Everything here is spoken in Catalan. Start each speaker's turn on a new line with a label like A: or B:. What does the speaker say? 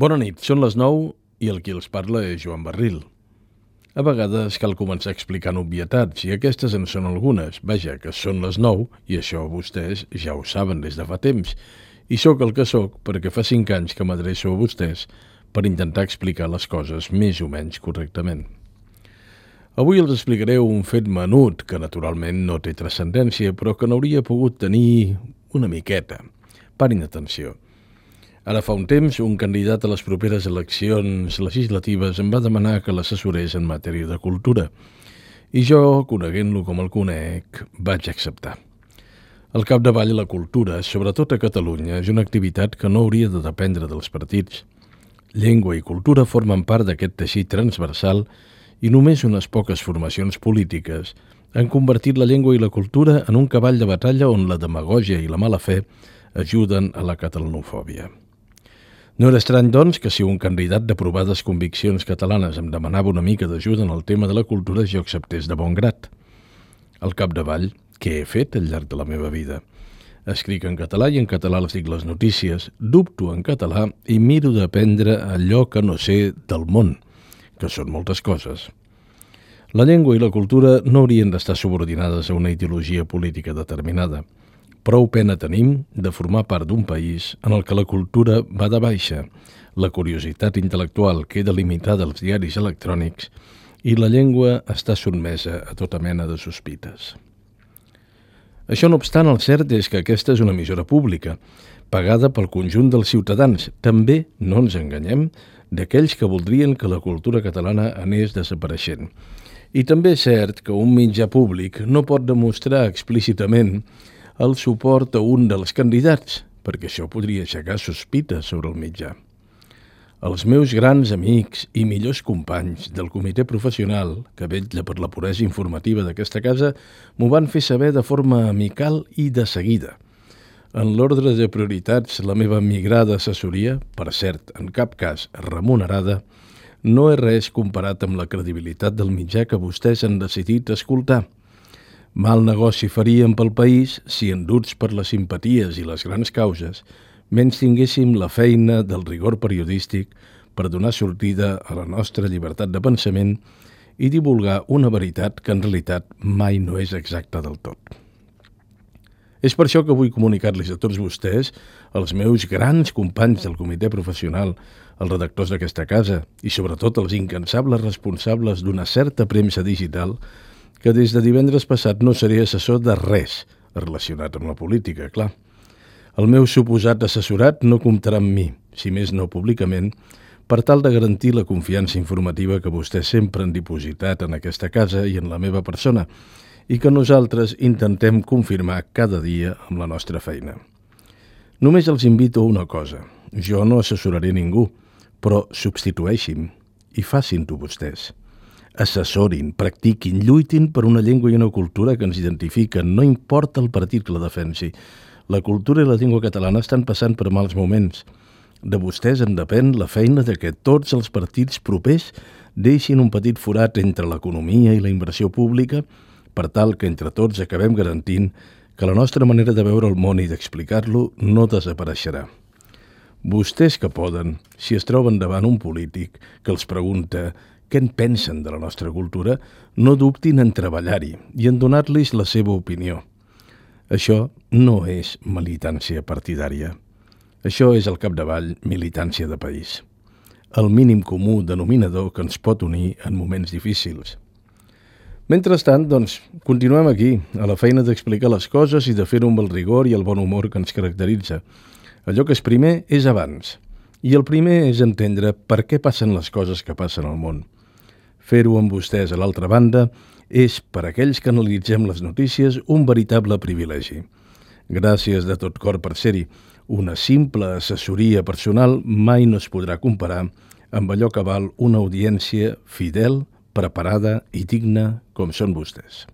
A: Bona nit, són les 9 i el qui els parla és Joan Barril. A vegades cal començar explicant obvietats i aquestes en són algunes. Vaja, que són les 9 i això vostès ja ho saben des de fa temps. I sóc el que sóc perquè fa 5 anys que m'adreço a vostès per intentar explicar les coses més o menys correctament. Avui els explicaré un fet menut que naturalment no té transcendència però que n'hauria pogut tenir una miqueta. Parin atenció. Ara fa un temps, un candidat a les properes eleccions legislatives em va demanar que l'assessorés en matèria de cultura. I jo, coneguent-lo com el conec, vaig acceptar. Al capdavall, la cultura, sobretot a Catalunya, és una activitat que no hauria de dependre dels partits. Llengua i cultura formen part d'aquest teixit transversal i només unes poques formacions polítiques han convertit la llengua i la cultura en un cavall de batalla on la demagògia i la mala fe ajuden a la catalanofòbia. No era estrany, doncs, que si un candidat de provades conviccions catalanes em demanava una mica d'ajuda en el tema de la cultura, jo acceptés de bon grat. Al capdavall, què he fet al llarg de la meva vida? Escric en català i en català les dic les notícies, dubto en català i miro d'aprendre allò que no sé del món, que són moltes coses. La llengua i la cultura no haurien d'estar subordinades a una ideologia política determinada. Prou pena tenim de formar part d'un país en el que la cultura va de baixa, la curiositat intel·lectual queda limitada als diaris electrònics i la llengua està sotmesa a tota mena de sospites. Això no obstant, el cert és que aquesta és una emissora pública, pagada pel conjunt dels ciutadans, també, no ens enganyem, d'aquells que voldrien que la cultura catalana anés desapareixent. I també és cert que un mitjà públic no pot demostrar explícitament el suport a un dels candidats, perquè això podria aixecar sospites sobre el mitjà. Els meus grans amics i millors companys del comitè professional, que vetlla per la puresa informativa d'aquesta casa, m'ho van fer saber de forma amical i de seguida. En l'ordre de prioritats, la meva migrada assessoria, per cert, en cap cas remunerada, no és res comparat amb la credibilitat del mitjà que vostès han decidit escoltar. Mal negoci faríem pel país si, enduts per les simpaties i les grans causes, menys tinguéssim la feina del rigor periodístic per donar sortida a la nostra llibertat de pensament i divulgar una veritat que en realitat mai no és exacta del tot. És per això que vull comunicar-los a tots vostès, els meus grans companys del comitè professional, els redactors d'aquesta casa i sobretot els incansables responsables d'una certa premsa digital, que des de divendres passat no seré assessor de res relacionat amb la política, clar. El meu suposat assessorat no comptarà amb mi, si més no públicament, per tal de garantir la confiança informativa que vostès sempre han dipositat en aquesta casa i en la meva persona, i que nosaltres intentem confirmar cada dia amb la nostra feina. Només els invito a una cosa. Jo no assessoraré ningú, però substitueixin i facin-ho vostès. Assessorin, practiquin, lluitin per una llengua i una cultura que ens identifiquen, no importa el partit que la defensi. La cultura i la llengua catalana estan passant per mals moments. De vostès en depèn la feina de que tots els partits propers deixin un petit forat entre l'economia i la inversió pública per tal que entre tots acabem garantint que la nostra manera de veure el món i d'explicar-lo no desapareixerà. Vostès que poden, si es troben davant un polític que els pregunta què en pensen de la nostra cultura, no dubtin en treballar-hi i en donar-los la seva opinió. Això no és militància partidària. Això és al capdavall militància de país. El mínim comú denominador que ens pot unir en moments difícils. Mentrestant, doncs, continuem aquí, a la feina d'explicar les coses i de fer-ho amb el rigor i el bon humor que ens caracteritza. Allò que és primer és abans. I el primer és entendre per què passen les coses que passen al món. Fer-ho amb vostès a l'altra banda és, per a aquells que analitzem les notícies, un veritable privilegi. Gràcies de tot cor per ser-hi. Una simple assessoria personal mai no es podrà comparar amb allò que val una audiència fidel, preparada i digna com són vostès.